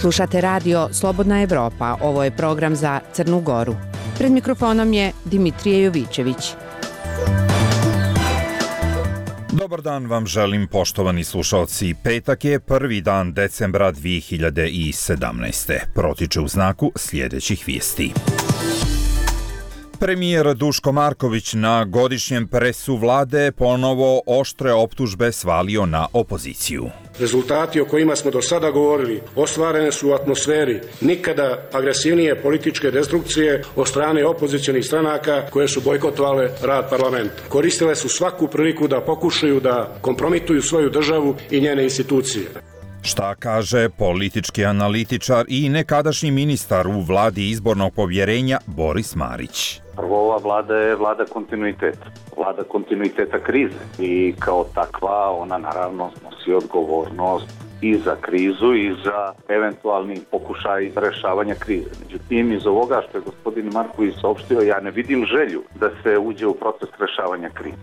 Slušate radio Slobodna Evropa, ovo je program za Crnu Goru. Pred mikrofonom je Dimitrije Jovićević. Dobar dan vam želim, poštovani slušalci. Petak je 1. dan decembra 2017. Protiče u znaku sljedećih vijesti. Premijer Duško Marković na godišnjem presu vlade ponovo oštre optužbe svalio na opoziciju. Rezultati o kojima smo do sada govorili ostvarene su u atmosferi nikada agresivnije političke destrukcije od strane opozicionih stranaka koje su bojkotovale rad parlamenta. Koristile su svaku priliku da pokušaju da kompromituju svoju državu i njene institucije. Šta kaže politički analitičar i nekadašnji ministar u vladi izbornog povjerenja Boris Marić? Prvo, ova vlada je vlada kontinuiteta krize i kao takva ona naravno nosi odgovornost i za krizu i za eventualni pokušaj rješavanja krize. Međutim, iz ovoga što je gospodin Marković saopštio, ja ne vidim želju da se uđe u proces rješavanja krize.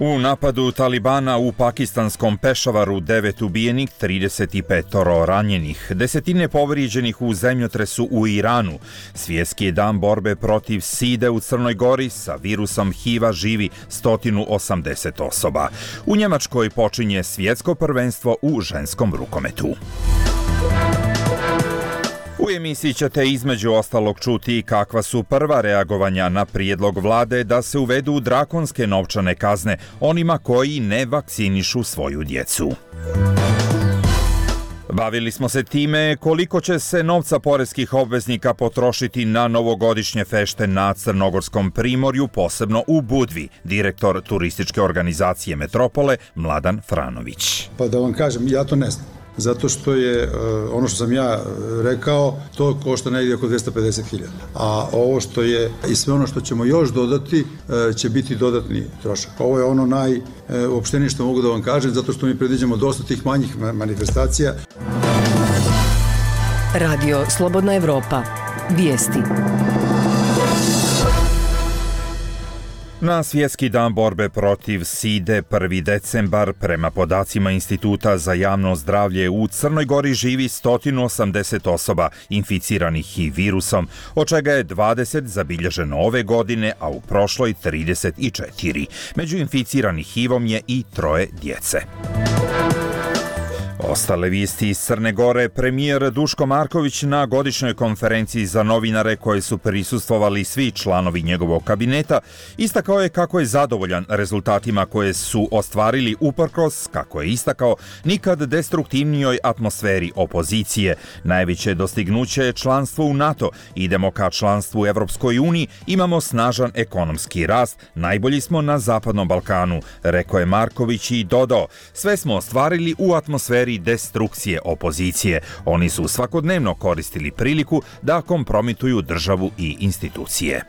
U napadu Talibana u pakistanskom Pešavaru 9 ubijenih, 35 ranjenih, desetine povrijeđenih u zemljotresu u Iranu. Svjetski je dan borbe protiv side u Crnoj Gori, sa virusom HIV-a živi 180 osoba. U Njemačkoj počinje svjetsko prvenstvo u ženskom rukometu. U emisiji ćete između ostalog čuti kakva su prva reagovanja na prijedlog vlade da se uvedu drakonske novčane kazne onima koji ne vakcinišu svoju djecu. Bavili smo se time koliko će se novca poreskih obveznika potrošiti na novogodišnje fešte na Crnogorskom primorju, posebno u Budvi, direktor turističke organizacije Metropole Mladan Franović. Pa da vam kažem, ja to ne znam. Zato što je ono što sam ja rekao, to košta negdje oko 250.000. A ovo što je i sve ono što ćemo još dodati će biti dodatni trošak. Ovo je ono najopštenije što mogu da vam kažem, zato što mi predviđamo dosta tih manjih manifestacija. Radio Slobodna Evropa. Vijesti. Na svjetski dan borbe protiv side 1. decembar prema podacima Instituta za javno zdravlje u Crnoj Gori živi 180 osoba inficiranih HIV virusom, od čega je 20 zabilježeno ove godine, a u prošloj 34. Među inficiranih HIV-om je i 3 djece. Ostale vijesti iz Crne Gore. Premijer Duško Marković na godišnjoj konferenciji za novinare koje su prisustvovali svi članovi njegovog kabineta istakao je kako je zadovoljan rezultatima koje su ostvarili uprkos, kako je istakao, nikad destruktivnijoj atmosferi opozicije. Najveće dostignuće je članstvo u NATO, idemo ka članstvu u Evropskoj uniji, imamo snažan ekonomski rast, najbolji smo na Zapadnom Balkanu, rekao je Marković i dodao, sve smo ostvarili u atmosferi destrukcije opozicije. Oni su svakodnevno koristili priliku da kompromituju državu i institucije.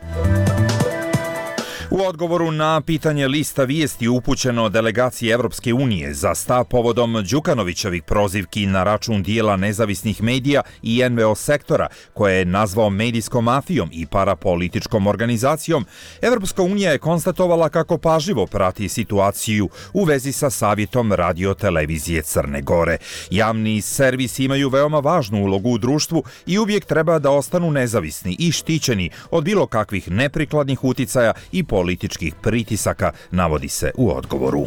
U odgovoru na pitanje lista vijesti upućeno delegaciji Evropske unije za stav povodom Đukanovićevih prozivki na račun dijela nezavisnih medija i NVO sektora, koje je nazvao medijskom mafijom i parapolitičkom organizacijom, Evropska unija je konstatovala kako pažljivo prati situaciju u vezi sa savjetom radio-televizije Crne Gore. Javni servisi imaju veoma važnu ulogu u društvu i uvijek treba da ostanu nezavisni i štićeni od bilo kakvih neprikladnih uticaja i političkih pritisaka, navodi se u odgovoru.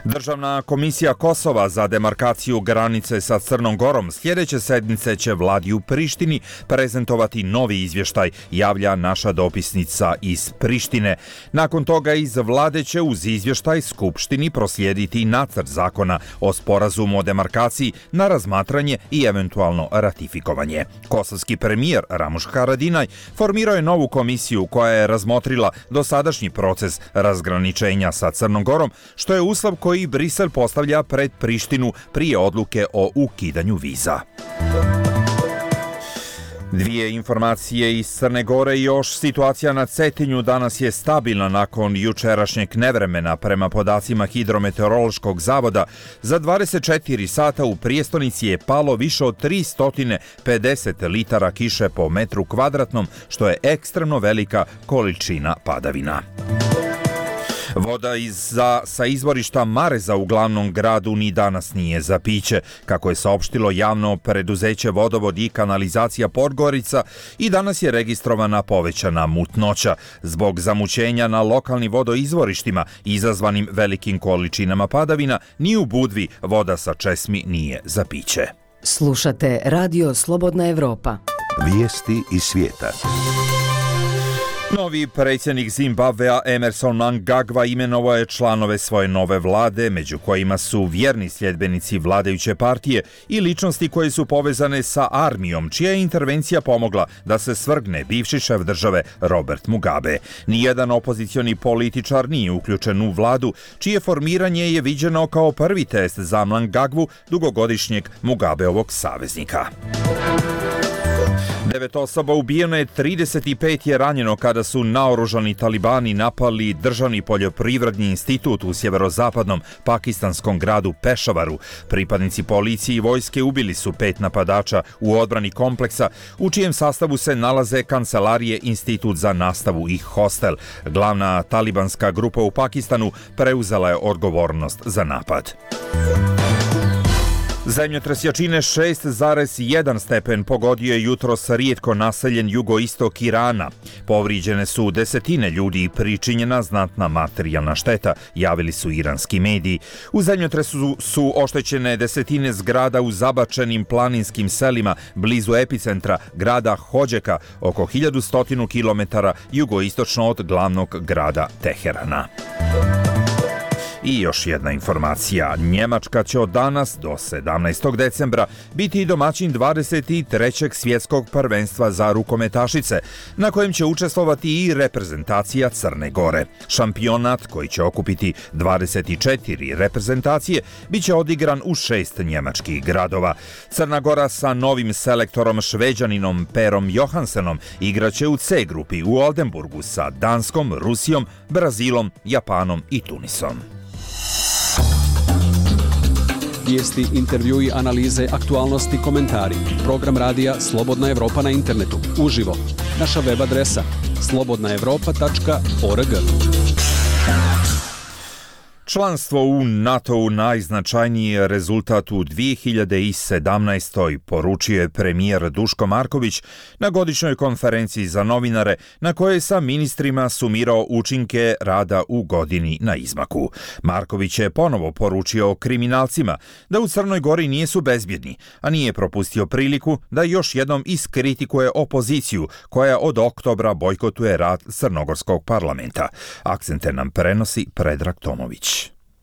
Državna komisija Kosova za demarkaciju granice sa Crnom Gorom sljedeće sedmice će vladi u Prištini prezentovati novi izvještaj, javlja naša dopisnica iz Prištine. Nakon toga iz vlade će uz izvještaj Skupštini proslijediti nacrt zakona o sporazumu o demarkaciji na razmatranje i eventualno ratifikovanje. Kosovski premijer Ramuš Haradinaj formirao je novu komisiju koja je razmotrila dosadašnji proces razgraničenja sa Crnom Gorom, što je uslov koji Brisel postavlja pred Prištinu prije odluke o ukidanju viza. Dvije informacije iz Crne Gore. Još situacija na Cetinju danas je stabilna nakon jučerašnjeg nevremena. Prema podacima Hidrometeorološkog zavoda, za 24 sata u prijestonici je palo više od 350 litara kiše po metru kvadratnom, što je ekstremno velika količina padavina. Voda sa izvorišta Mareza u glavnom gradu ni danas nije za piće. Kako je saopštilo javno preduzeće Vodovod i kanalizacija Podgorica, i danas je registrovana povećana mutnoća zbog zamućenja na lokalnim vodoizvorištima izazvanim velikim količinama padavina. Ni u Budvi voda sa česmi nije za piće. Slušate Radio Slobodna Evropa. Vijesti iz svijeta. Novi predsjednik Zimbabvea Emmerson Mnangagwa imenovao je članove svoje nove vlade, među kojima su vjerni sljedbenici vladajuće partije i ličnosti koje su povezane sa armijom, čija je intervencija pomogla da se svrgne bivši šef države Robert Mugabe. Nijedan opozicioni političar nije uključen u vladu, čije formiranje je viđeno kao prvi test za Mnangagwu, dugogodišnjeg Mugabeovog saveznika. 9 osoba ubijeno je, 35 je ranjeno kada su naoružani talibani napali državni poljoprivredni institut u sjeverozapadnom pakistanskom gradu Pešavaru. Pripadnici policije i vojske ubili su 5 napadača u odbrani kompleksa, u čijem sastavu se nalaze kancelarije, institut za nastavu i hostel. Glavna talibanska grupa u Pakistanu preuzela je odgovornost za napad. Zemljotres jačine 6,1 stepen pogodio je jutros rijetko naseljen jugoistok Irana. Povrijeđene su desetine ljudi i pričinjena znatna materijalna šteta, javili su iranski mediji. U zemljotresu su oštećene desetine zgrada u zabačenim planinskim selima blizu epicentra grada Hodžeka, oko 1100 km jugoistočno od glavnog grada Teherana. I još jedna informacija. Njemačka će od danas do 17. decembra biti domaćin 23. svjetskog prvenstva za rukometašice, na kojem će učestvovati i reprezentacija Crne Gore. Šampionat, koji će okupiti 24 reprezentacije, bit će odigran u 6 njemačkih gradova. Crna Gora sa novim selektorom Šveđaninom Perom Johansenom igraće u C grupi u Oldenburgu sa Danskom, Rusijom, Brazilom, Japanom i Tunisom. Vijesti, intervjui, analize, aktualnosti, komentari. Program radija Slobodna Evropa na internetu. Uživo. Naša web adresa slobodnaevropa.org. Članstvo u NATO-u najznačajniji je rezultat u 2017. poručio je premijer Duško Marković na godišnjoj konferenciji za novinare, na kojoj je sa ministrima sumirao učinke rada u godini na izmaku. Marković je ponovo poručio kriminalcima da u Crnoj Gori nisu bezbjedni, a nije propustio priliku da još jednom iskritikuje opoziciju koja od oktobra bojkotuje rad Crnogorskog parlamenta. Akcente nam prenosi Predrag Tomović.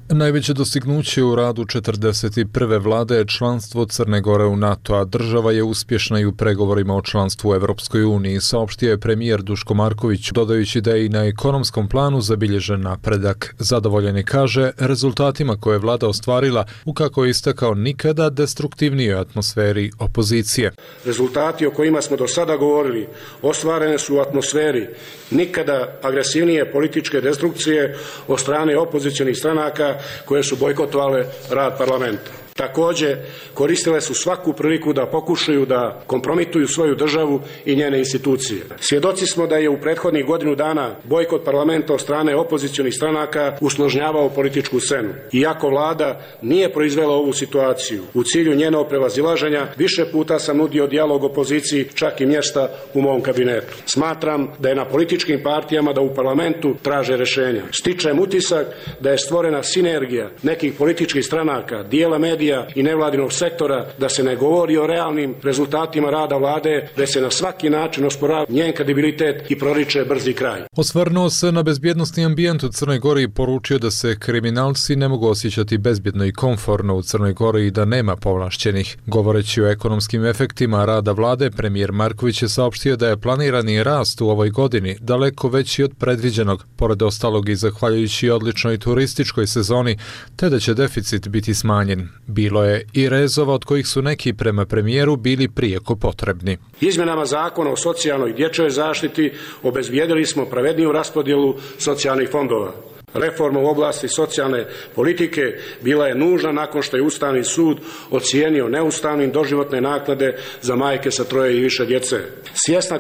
Najveće dostignuće u radu 41. vlade je članstvo Crne Gore u NATO, a država je uspješna i u pregovorima o članstvu u Evropskoj uniji, saopštio je premijer Duško Marković, dodajući da je i na ekonomskom planu zabilježen napredak. Zadovoljen je, kaže, rezultatima koje je vlada ostvarila u, kako je istakao, nikada destruktivnijoj atmosferi opozicije. Rezultati o kojima smo do sada govorili ostvarene su u atmosferi nikada agresivnije političke destrukcije od strane opozicionih stranaka koje su bojkotovale rad parlamenta. Također, koristile su svaku priliku da pokušaju da kompromituju svoju državu i njene institucije. Svjedoci smo da je u prethodnih godinu dana bojkot parlamenta od strane opozicionih stranaka usložnjavao političku scenu. Iako vlada nije proizvela ovu situaciju, u cilju njenog prevazilaženja više puta sam nudio dijalog opoziciji, čak i mjesta u mom kabinetu. Smatram da je na političkim partijama da u parlamentu traže rješenja. Stičem utisak da je stvorena sinergija nekih političkih stranaka, dijela medija i nevladinog sektora, da se ne govori o realnim rezultatima rada vlade, da se na svaki način osporava njen kredibilitet i proriče brzi kraj. Osvrnuo se na bezbjednosni ambijent u Crnoj Gori i poručio da se kriminalci ne mogu osjećati bezbjedno i komforno u Crnoj Gori i da nema povlašćenih. Govoreći o ekonomskim efektima rada vlade, premijer Marković je saopštio da je planirani rast u ovoj godini daleko veći od predviđenog, pored ostalog i zahvaljujući odličnoj turističkoj sezoni, te da će deficit biti smanjen. Bilo je i rezova od kojih su neki prema premijeru bili prijeko potrebni. Izmjenama zakona o socijalnoj i dječjoj zaštiti obezbijedili smo pravedniju raspodjelu socijalnih fondova. Reforma u oblasti socijalne politike bila je nužna nakon što je Ustavni sud ocijenio neustavnim doživotne naknade za majke sa 3 i više djece. Svjesna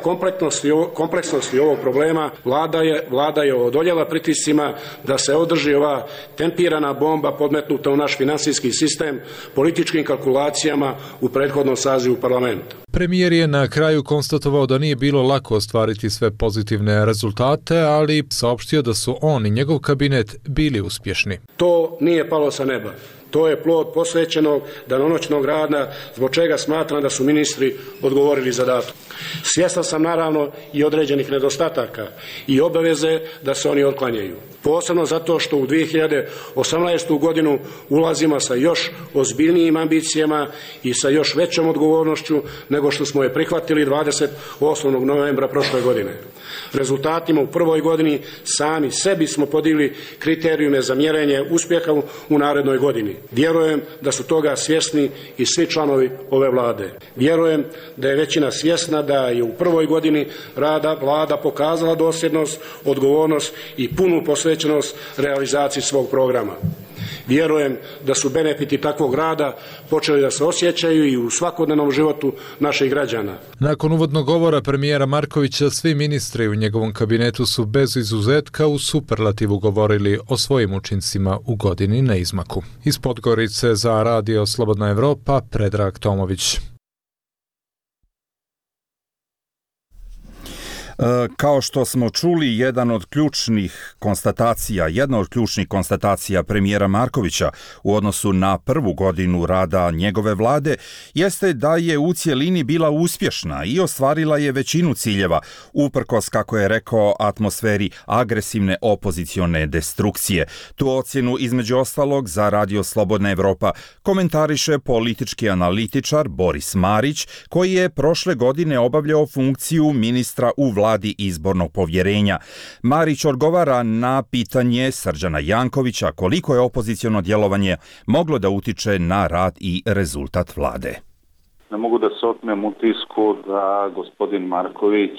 kompleksnosti ovog problema, Vlada je odoljela pritiscima da se održi ova tempirana bomba podmetnuta u naš financijski sistem političkim kalkulacijama u prethodnom sazivu parlamenta. Premijer je na kraju konstatovao da nije bilo lako ostvariti sve pozitivne rezultate, ali saopštio da su on i njegov kabinet bili uspješni. To nije palo sa neba. To je plod posvećenog danonoćnog rada, zbog čega smatram da su ministri odgovorili zadatak. Svjestan sam naravno i određenih nedostataka i obaveze da se oni otklanjaju. Posebno zato što u 2018. godinu ulazimo sa još ozbiljnijim ambicijama i sa još većom odgovornošću nego što smo je prihvatili 28. novembra prošle godine. Rezultatima u prvoj godini sami sebi smo podigli kriterijume za mjerenje uspjeha u narednoj godini. Vjerujem da su toga svjesni i svi članovi ove Vlade. Vjerujem da je većina svjesna da je u prvoj godini rada Vlada pokazala dosljednost, odgovornost i punu posvećenost realizaciji svog programa. Vjerujem da su benefiti takvog rada počeli da se osjećaju i u svakodnevnom životu naših građana. Nakon uvodnog govora premijera Markovića, svi ministri u njegovom kabinetu su bez izuzetka u superlativu govorili o svojim učincima u godini na izmaku. Iz Podgorice za Radio Slobodna Evropa, Predrag Tomović. Kao što smo čuli, jedna od ključnih konstatacija premijera Markovića u odnosu na prvu godinu rada njegove vlade jeste da je u cjelini bila uspješna i ostvarila je većinu ciljeva, uprkos, kako je rekao, atmosferi agresivne opozicione destrukcije. Tu ocjenu, između ostalog, za Radio Slobodna Evropa komentariše politički analitičar Boris Marić, koji je prošle godine obavljao funkciju ministra u vladi izbornog povjerenja. Marić odgovara na pitanje Srđana Jankovića koliko je opoziciono djelovanje moglo da utiče na rad i rezultat vlade. Ne mogu da se otmem utisku da gospodin Marković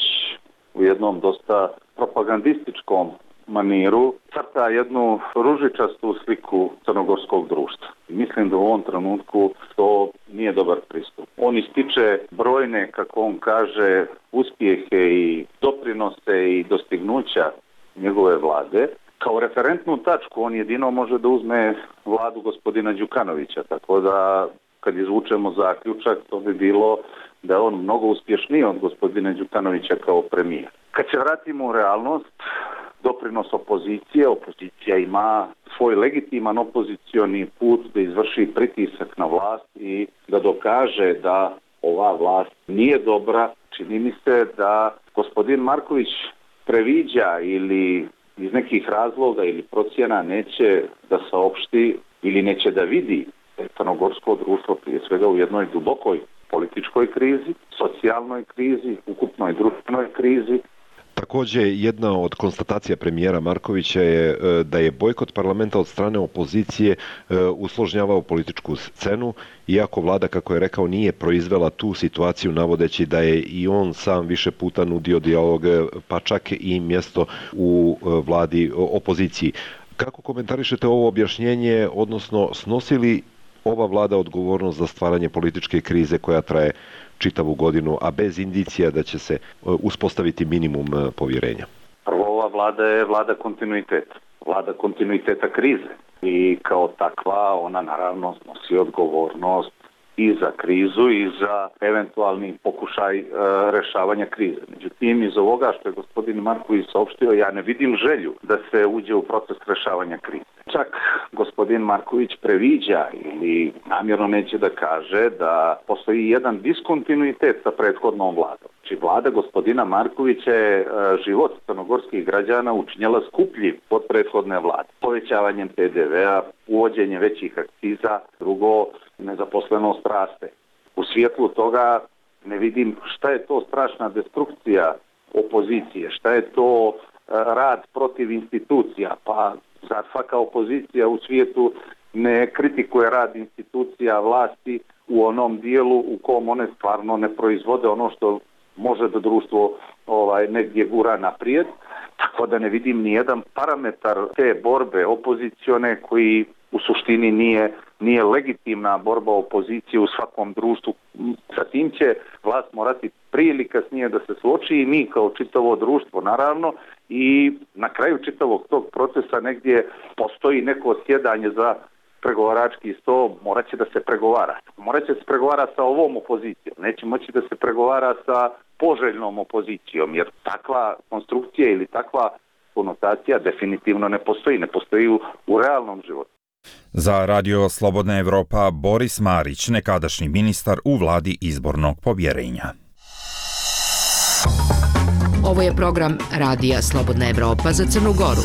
u jednom dosta propagandističkom maniru crta jednu ružičastu sliku crnogorskog društva. Mislim da u ovom trenutku to nije dobar pristup. On ističe brojne, kako on kaže, uspjehe i doprinose i dostignuća njegove vlade. Kao referentnu tačku on jedino može da uzme vladu gospodina Đukanovića, tako da kad izvučemo zaključak, to bi bilo da je on mnogo uspješniji od gospodina Đukanovića kao premijer. Kad se vratimo u realnost, doprinos opozicija ima svoj legitiman opozicioni put da izvrši pritisak na vlast i da dokaže da ova vlast nije dobra. Čini mi se da gospodin Marković previđa ili iz nekih razloga ili procjena neće da saopšti ili neće da vidi crnogorsko društvo prije svega u jednoj dubokoj političkoj krizi, socijalnoj krizi, ukupnoj društvenoj krizi. Također, jedna od konstatacija premijera Markovića je da je bojkot parlamenta od strane opozicije usložnjavao političku scenu, iako vlada, kako je rekao, nije proizvela tu situaciju, navodeći da je i on sam više puta nudio dijalog, pa čak i mjesto u vladi opoziciji. Kako komentarišete ovo objašnjenje, odnosno snosi li ova vlada odgovornost za stvaranje političke krize koja traje čitavu godinu, a bez indicija da će se uspostaviti minimum povjerenja? Prvo, ova vlada je vlada kontinuiteta krize i kao takva ona naravno snosi odgovornost i za krizu i za eventualni pokušaj rješavanja krize. Međutim, iz ovoga što je gospodin Marković saopštio, ja ne vidim želju da se uđe u proces rješavanja krize. Čak gospodin Marković previđa ili namjerno neće da kaže da postoji jedan diskontinuitet sa prethodnom vladom. Znači, vlada gospodina Markovića je život crnogorskih građana učinjela skupljim od prethodne vlade. Povećavanjem PDV-a, uvođenjem većih akciza, drugo, nezaposlenost raste. U svjetlu toga ne vidim šta je to strašna destrukcija opozicije, šta je to rad protiv institucija, pa zar svaka opozicija u svijetu ne kritikuje rad institucija vlasti u onom dijelu u kom one stvarno ne proizvode ono što može da društvo negdje gura naprijed. Tako tako da ne vidim ni jedan parametar te borbe opozicione koji u suštini nije legitimna borba opozicije u svakom društvu. Sa tim će vlast morati prije ili kasnije da se suoči i mi kao čitavo društvo naravno, i na kraju čitavog tog procesa negdje postoji neko sjedanje za pregovarački sto, morat će da se pregovara. Morat će da se pregovara sa ovom opozicijom, neće moći da se pregovara sa poželjnom opozicijom, jer takva konstrukcija ili takva konotacija definitivno ne postoji u realnom životu. Za Radio Slobodna Evropa Boris Marić, nekadašnji ministar u vladi izbornog povjerenja. Ovo je program Radija Slobodna Evropa za Crnu Goru.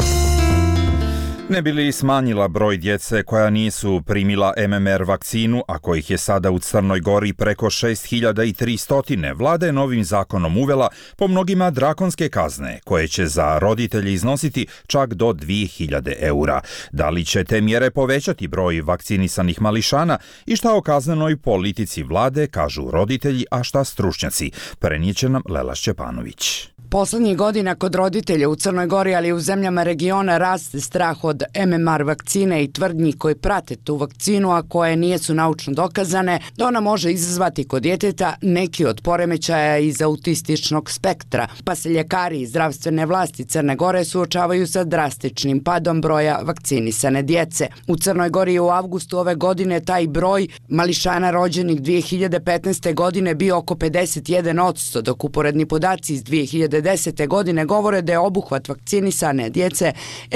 Ne bi li smanjila broj djece koja nisu primila MMR vakcinu, a kojih je sada u Crnoj Gori preko 6300, vlada je novim zakonom uvela po mnogima drakonske kazne, koje će za roditelje iznositi čak do 2000 eura. Da li će te mjere povećati broj vakcinisanih mališana i šta o kaznenoj politici vlade kažu roditelji, a šta stručnjaci? Prenijeće nam Lela Šćepanović. Poslednjih godina kod roditelja u Crnoj Gori, ali i u zemljama regiona, raste strah od MMR vakcine i tvrdnji koji prate tu vakcinu, a koje nijesu naučno dokazane, da ona može izazvati kod djeteta neki od poremećaja iz autističnog spektra, pa se ljekari i zdravstvene vlasti Crne Gore suočavaju sa drastičnim padom broja vakcinisane djece. U Crnoj Gori je u avgustu ove godine taj broj mališana rođenih 2015. godine bio oko 51%, dok uporedni podaci iz 2010. godine govore da je obuhvat vakcinisane djece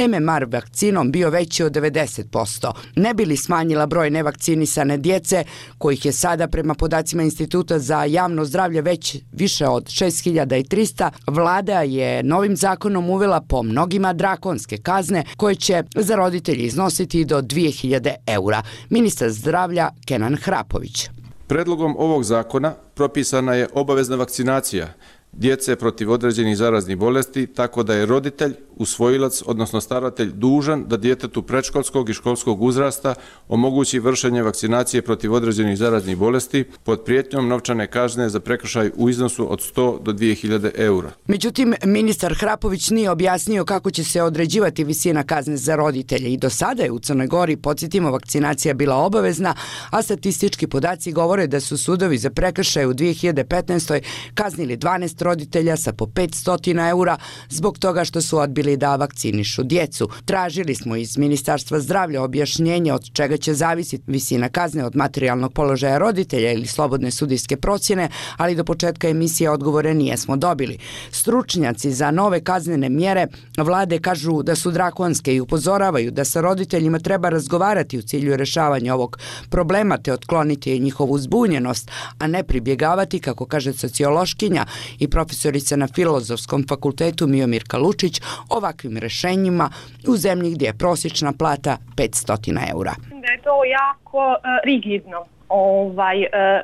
MMR vakcinom bio veći od 90%. Ne bi li smanjila broj nevakcinisane djece, kojih je sada prema podacima Instituta za javno zdravlje već više od 6300, vlada je novim zakonom uvela po mnogima drakonske kazne koje će za roditelji iznositi do 2000 eura. Ministar zdravlja Kenan Hrapović. Predlogom ovog zakona propisana je obavezna vakcinacija djece protiv određenih zaraznih bolesti, tako da je roditelj, usvojilac, odnosno staratelj dužan da djetetu predškolskog i školskog uzrasta omogući vršenje vakcinacije protiv određenih zaraznih bolesti pod prijetnjom novčane kazne za prekršaj u iznosu od 100 do 2000 eura. Međutim, ministar Hrapović nije objasnio kako će se određivati visina kazne za roditelje i do sada je u Crnoj Gori, podsjetimo, vakcinacija bila obavezna, a statistički podaci govore da su sudovi za prekršaj u 2015. kaznili 12 roditelja sa po 500 eura zbog toga što su odbili da vakcinišu djecu. Tražili smo iz Ministarstva zdravlja objašnjenje od čega će zavisiti visina kazne, od materijalnog položaja roditelja ili slobodne sudijske procjene, ali do početka emisije odgovore nijesmo dobili. Stručnjaci za nove kaznene mjere vlade kažu da su drakonske i upozoravaju da sa roditeljima treba razgovarati u cilju rješavanja ovog problema te otkloniti njihovu zbunjenost, a ne pribjegavati, kako kaže sociološkinja i profesorica na Filozofskom fakultetu Miomirka Lučić, ovakvim rješenjima u zemlji gdje je prosječna plata 500 eura. Da je to jako rigidno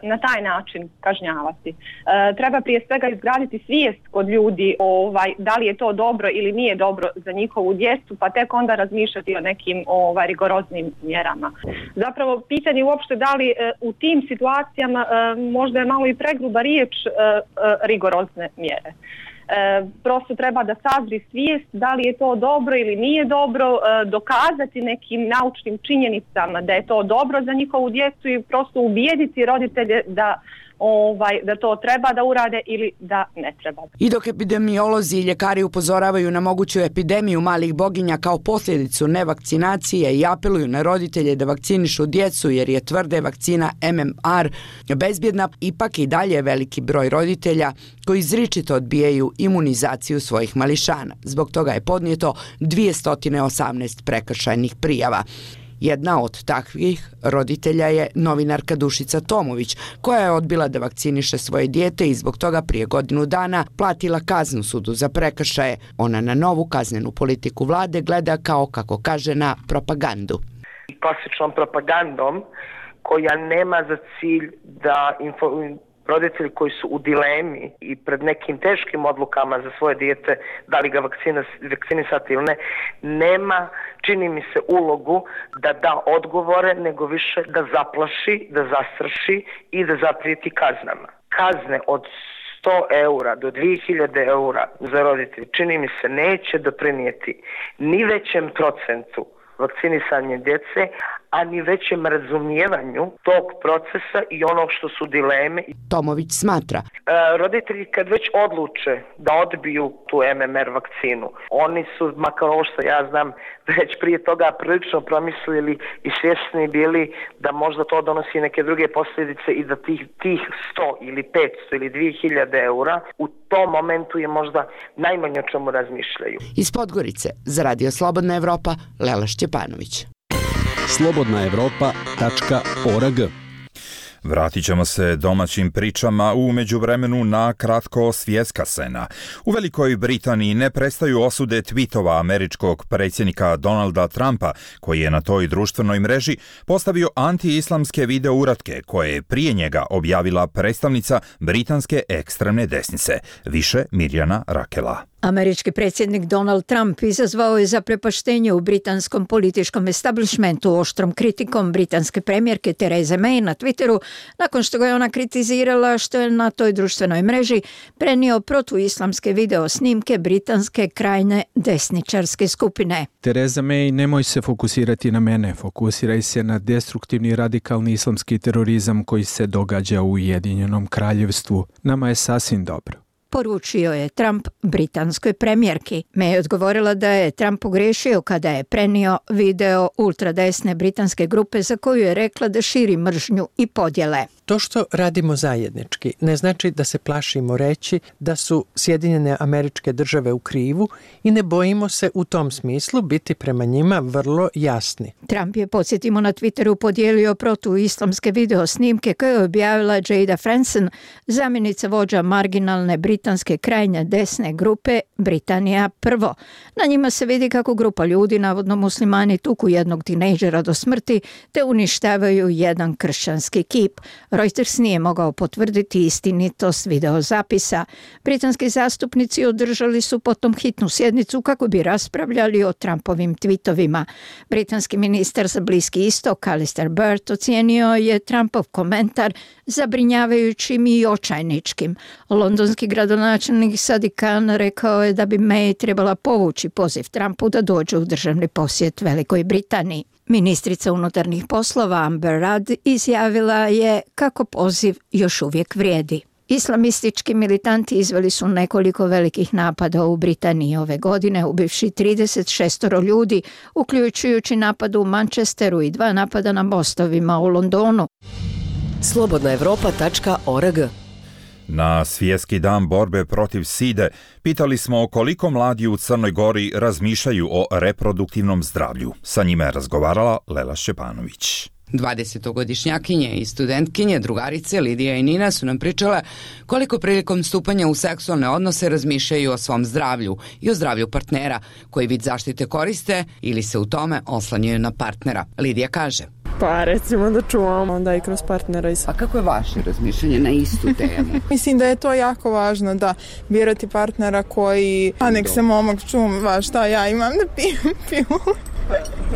na taj način kažnjavati. Treba prije svega izgraditi svijest kod ljudi da li je to dobro ili nije dobro za njihovu djecu, pa tek onda razmišljati o nekim rigoroznim mjerama. Zapravo pitanje uopšte da li u tim situacijama možda je malo i pregruba riječ rigorozne mjere. Prosto treba da sazri svijest da li je to dobro ili nije dobro, dokazati nekim naučnim činjenicama da je to dobro za njihovu djecu i prosto ubijediti roditelje da to treba da urade ili da ne treba. I dok epidemiolozi i ljekari upozoravaju na moguću epidemiju malih boginja kao posljedicu nevakcinacije i apeluju na roditelje da vakcinišu djecu jer je tvrde vakcina MMR bezbjedna, ipak i dalje veliki broj roditelja koji izričito odbijaju imunizaciju svojih mališana. Zbog toga je podnijeto 218 prekršajnih prijava. Jedna od takvih roditelja je novinarka Dušica Tomović, koja je odbila da vakciniše svoje dijete i zbog toga prije godinu dana platila kaznu sudu za prekršaje. Ona na novu kaznenu politiku vlade gleda kao, kako kaže, na propagandu. Klasičnom propagandom koja nema za cilj da roditelji koji su u dilemi i pred nekim teškim odlukama za svoje dijete, da li ga vakcinisati ili ne, nema, čini mi se, ulogu da da odgovore, nego više da zaplaši, da zastraši i da zaprijeti kaznama. Kazne od 100 eura do 2000 eura za roditelje, čini mi se, neće doprinijeti ni većem procentu vakcinisanje djece, a ni većem razumijevanju tog procesa i onog što su dileme. Tomović smatra. Roditelji kad već odluče da odbiju tu MMR vakcinu, oni su, makar ovo što ja znam, već prije toga prilično promislili i svjesni bili da možda to donosi neke druge posljedice i da tih 100 ili 500 ili 2000 eura u tom momentu je možda najmanje o čemu razmišljaju. Iz Podgorice, za Radio Slobodna Evropa, Lela Šćepanović. slobodnaevropa.org. Vratit ćemo se domaćim pričama u međuvremenu na kratko svjetska scena. U Velikoj Britaniji ne prestaju osude tvitova američkog predsjednika Donalda Trumpa, koji je na toj društvenoj mreži postavio anti-islamske video uratke koje je prije njega objavila predstavnica britanske ekstremne desnice. Više Mirjana Rakela. Američki predsjednik Donald Trump izazvao je zaprepaštenje u britanskom političkom establishmentu oštrom kritikom britanske premijerke Therese May na Twitteru nakon što ga je ona kritizirala što je na toj društvenoj mreži prenio protuislamske video snimke britanske krajnje desničarske skupine. Theresa May, nemoj se fokusirati na mene, fokusiraj se na destruktivni radikalni islamski terorizam koji se događa u Ujedinjenom kraljevstvu. Nama je sasvim dobro. Poručio je Trump britanskoj premijerki. May je odgovorila da je Trump pogriješio kada je prenio video ultradesne britanske grupe za koju je rekla da širi mržnju i podjele. To što radimo zajednički ne znači da se plašimo reći da su Sjedinjene Američke Države u krivu i ne bojimo se u tom smislu biti prema njima vrlo jasni. Trump je, podsjetimo, na Twitteru podijelio protuislamske video snimke koje je objavila Jada Franson, zamjenica vođa marginalne britanske krajnje desne grupe Britanija prvo. Na njima se vidi kako grupa ljudi, navodno muslimani, tuku jednog tinejdžera do smrti te uništavaju jedan kršćanski kip. Reuters nije mogao potvrditi istinitost videozapisa. Britanski zastupnici održali su potom hitnu sjednicu kako bi raspravljali o Trumpovim tweetovima. Britanski ministar za Bliski istok Alistair Burt ocijenio je Trumpov komentar zabrinjavajućim i očajničkim. Londonski gradonačelnik Sadiq Khan rekao je da bi May trebala povući poziv Trumpu da dođe u državni posjet Velikoj Britaniji. Ministrica unutarnjih poslova Amber Rudd izjavila je kako poziv još uvijek vrijedi. Islamistički militanti izveli su nekoliko velikih napada u Britaniji ove godine, ubivši 36 ljudi, uključujući napad u Manchesteru i 2 napada na mostovima u Londonu. slobodnaevropa.org. Na svjetski dan borbe protiv side pitali smo koliko mladi u Crnoj Gori razmišljaju o reproduktivnom zdravlju. Sa njima je razgovarala Lela Šćepanović. 20-godišnjakinje i studentkinje, drugarice Lidija i Nina su nam pričale koliko prilikom stupanja u seksualne odnose razmišljaju o svom zdravlju i o zdravlju partnera, koji vid zaštite koriste ili se u tome oslanjaju na partnera. Lidija kaže: Pa recimo da čuvam onda i kroz partnera. A kako je vaše razmišljanje na istu temu? Mislim da je to jako važno, da birati partnera koji, a nek se momak čuva šta ja imam da pijem pilu.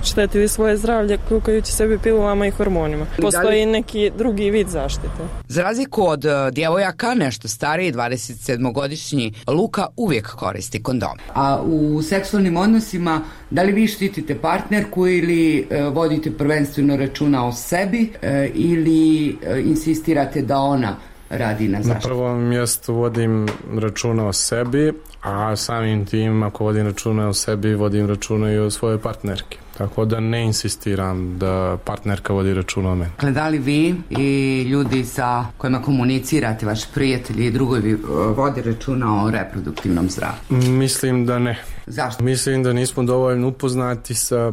Štetili svoje zdravlje kukajući sebi pilulama i hormonima. Postoji neki drugi vid zaštite. Za razliku od djevojaka, nešto stariji, 27-godišnji Luka uvijek koristi kondom. A u seksualnim odnosima, da li vi štitite partnerku ili vodite prvenstveno računa o sebi ili insistirate da ona radi na zaštitu? Na prvom mjestu vodim računa o sebi, a samim tim ako vodim računa o sebi, vodim računa i o svojoj partnerki. Tako da ne insistiram da partnerka vodi računa o meni. Da li vi i ljudi sa kojima komunicirate, vaši prijatelji i drugovi, vodi računa o reproduktivnom zdravlju? Mislim da ne. Zašto? Mislim da nismo dovoljno upoznati sa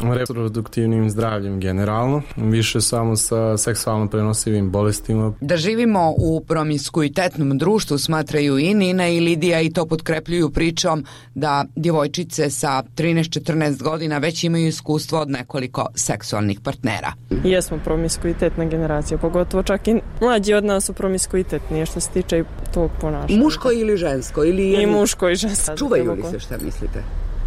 reproduktivnim zdravljem generalno, više samo sa seksualno prenosivim bolestima. Da živimo u promiskuitetnom društvu smatraju i Nina i Lidija i to potkrepljuju pričom da djevojčice sa 13-14 godina već imaju iskustvo od nekoliko seksualnih partnera. Jesmo promiskuitetna generacija, pogotovo čak i mlađi od nas su promiskuitetnije što se tiče tog ponašanja. Muško ili žensko? Ili i muško i žensko. Čuvaju li se, šta mislite?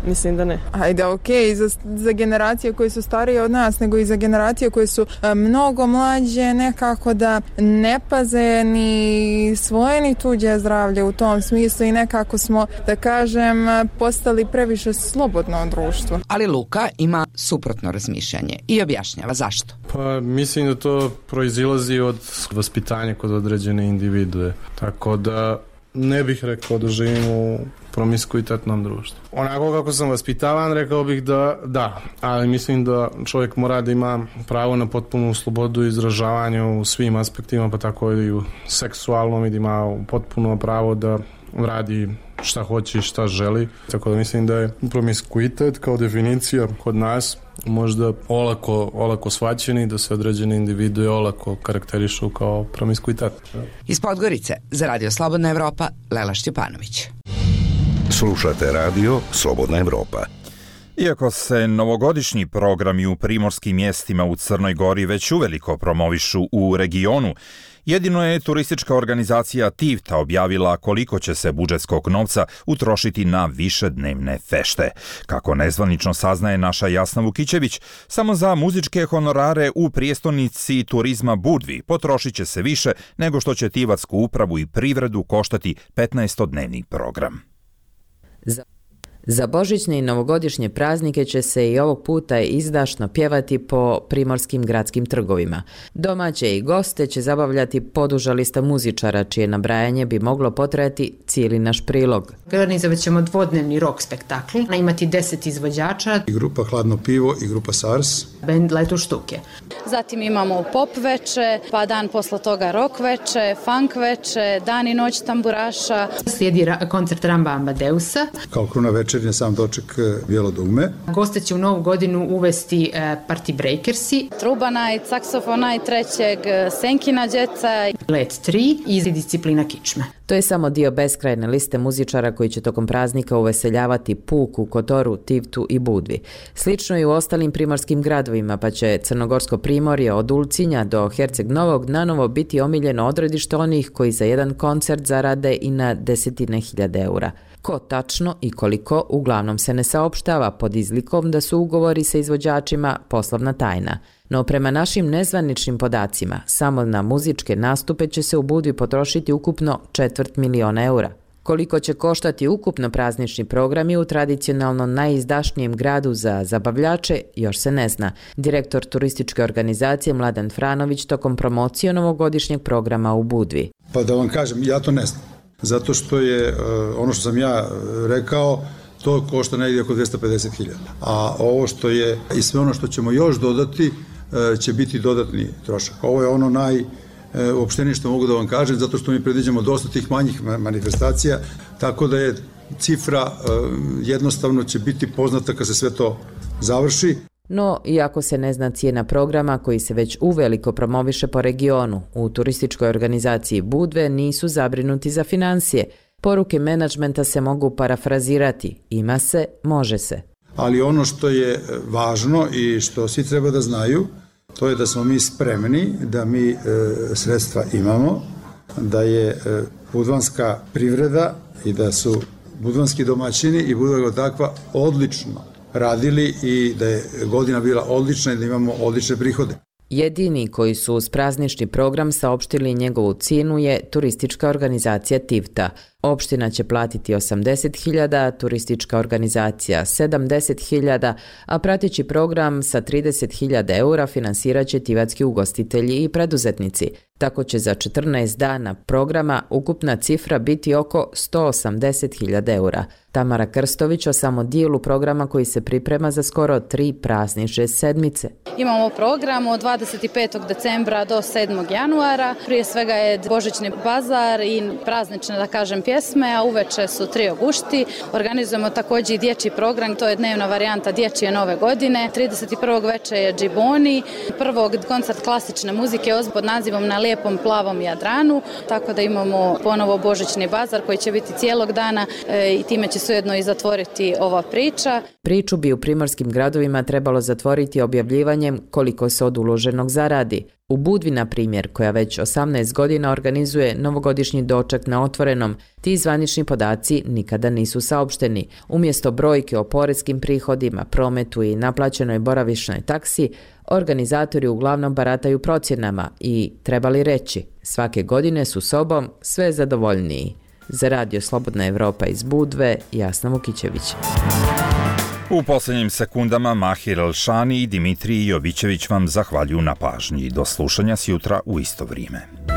Mislim da ne. Ajde, okej, za generacije koje su starije od nas, nego i za generacije koje su mnogo mlađe, nekako da ne paze ni svoje ni tuđe zdravlje u tom smislu i nekako smo, da kažem, postali previše slobodno društvo. Ali Luka ima suprotno razmišljanje i objašnjava zašto. Pa mislim da to proizilazi od vaspitanja kod određene individue. Tako da ne bih rekao da živimo u promiskuitetnom društvu. Onako kako sam vaspitavan, rekao bih da, ali mislim da čovjek mora da ima pravo na potpunu slobodu izražavanja u svim aspektima, pa tako i u seksualnom, i da ima potpuno pravo da radi šta hoće i šta želi. Tako da mislim da je promiskuitet kao definicija kod nas možda olako shvaćeni, da se određene individue olako karakterišu kao promiskuitet. Iz Podgorice za Radio Slobodna Evropa, Lela Šćepanović. Slušate radio Slobodna Evropa. Iako se novogodišnji programi u primorskim mjestima u Crnoj Gori već uveliko promovišu u regionu, jedino je turistička organizacija Tivta objavila koliko će se budžetskog novca utrošiti na višednevne fešte. Kako nezvanično saznaje naša Jasna Vukićević, samo za muzičke honorare u prijestolnici turizma Budvi potrošit će se više nego što će Tivatsku upravu i privredu koštati 15-dnevni program. Za božićne i novogodišnje praznike će se i ovog puta izdašno pjevati po primorskim gradskim trgovima. Domaće i goste će zabavljati poduža lista muzičara, čije nabrajanje bi moglo potrajati cijeli naš prilog. Organizovat ćemo dvodnevni rock spektakl, imati 10 izvođača. I grupa Hladno pivo i grupa SARS. Bend Letu štuke. Zatim imamo pop veče, pa dan posle toga rock veče, funk veče, dan i noć tamburaša. Slijedi koncert Ramba Amadeusa. Kao kruna večernja sam doček Bijelo dugme. Goste će u novu godinu uvesti Party Breakersi. Trubanaj, saksofonaj trećeg, Senkina djeca. Let 3 i disciplina kičme. To je samo dio beskrajne liste muzičara koji će tokom praznika uveseljavati Puku, Kotoru, Tivtu i Budvi. Slično i u ostalim primorskim gradovima, pa će Crnogorsko primorje od Ulcinja do Herceg Novog nanovo biti omiljeno odredište onih koji za jedan koncert zarade i na 10.000 eura. Ko tačno i koliko uglavnom se ne saopštava pod izlikom da su ugovori sa izvođačima poslovna tajna. No prema našim nezvaničnim podacima, samo na muzičke nastupe će se u Budvi potrošiti ukupno 250.000 eura. Koliko će koštati ukupno praznični programi u tradicionalno najizdašnijem gradu za zabavljače, još se ne zna. Direktor turističke organizacije Mladen Franović tokom promocije novogodišnjeg programa u Budvi. Pa da vam kažem, ja to ne znam. Zato što je ono što sam ja rekao, to košta negdje oko 250.000. A ovo što je i sve ono što ćemo još dodati će biti dodatni trošak. Ovo je ono najopštenije što mogu da vam kažem, zato što mi predviđamo dosta tih manjih manifestacija, tako da je cifra jednostavno će biti poznata kad se sve to završi. No, iako se ne zna cijena programa koji se već uveliko promoviše po regionu, u turističkoj organizaciji Budve nisu zabrinuti za financije. Poruke menadžmenta se mogu parafrazirati. Ima se, može se. Ali ono što je važno i što svi treba da znaju, to je da smo mi spremni, da mi sredstva imamo, da je budvanska privreda i da su budvanski domaćini i Budva takva odlično radili i da je godina bila odlična i da imamo odlične prihode. Jedini koji su uz praznični program saopštili njegovu cijenu je turistička organizacija Tivta. Opština će platiti 80.000, turistička organizacija 70.000, a prateći program sa 30.000 eura finansirat će tivatski ugostitelji i preduzetnici. Tako će za 14 dana programa ukupna cifra biti oko 180.000 eura. Tamara Krstović o samo dijelu programa koji se priprema za skoro 3 praznične sedmice. Imamo program od 25. decembra do 7. januara. Prije svega je božićni bazar i praznične, da kažem, pjesme, a uveče su Trio Gušti. Organizujemo također i dječji program, to je dnevna varijanta dječje nove godine. 31. veče je Džiboni, prvog koncert klasične muzike pod nazivom Na lijepom plavom Jadranu, tako da imamo ponovo božićni bazar koji će biti cijelog dana i time će se ujedno i zatvoriti ova priča. Priču bi u primorskim gradovima trebalo zatvoriti objavljivanjem koliko se od uloženog zaradi. U Budvi, na primjer, koja već 18 godina organizuje novogodišnji doček na otvorenom, ti zvanični podaci nikada nisu saopšteni. Umjesto brojke o poreskim prihodima, prometu i naplaćenoj boravišnoj taksi, organizatori uglavnom barataju procjenama i, trebali reći, svake godine su sobom sve zadovoljniji. Za Radio Slobodna Evropa iz Budve, Jasna Vukićević. U posljednjim sekundama Mahir Elšani i Dimitrij Jovićević vam zahvaljuju na pažnji. Do slušanja sjutra u isto vrijeme.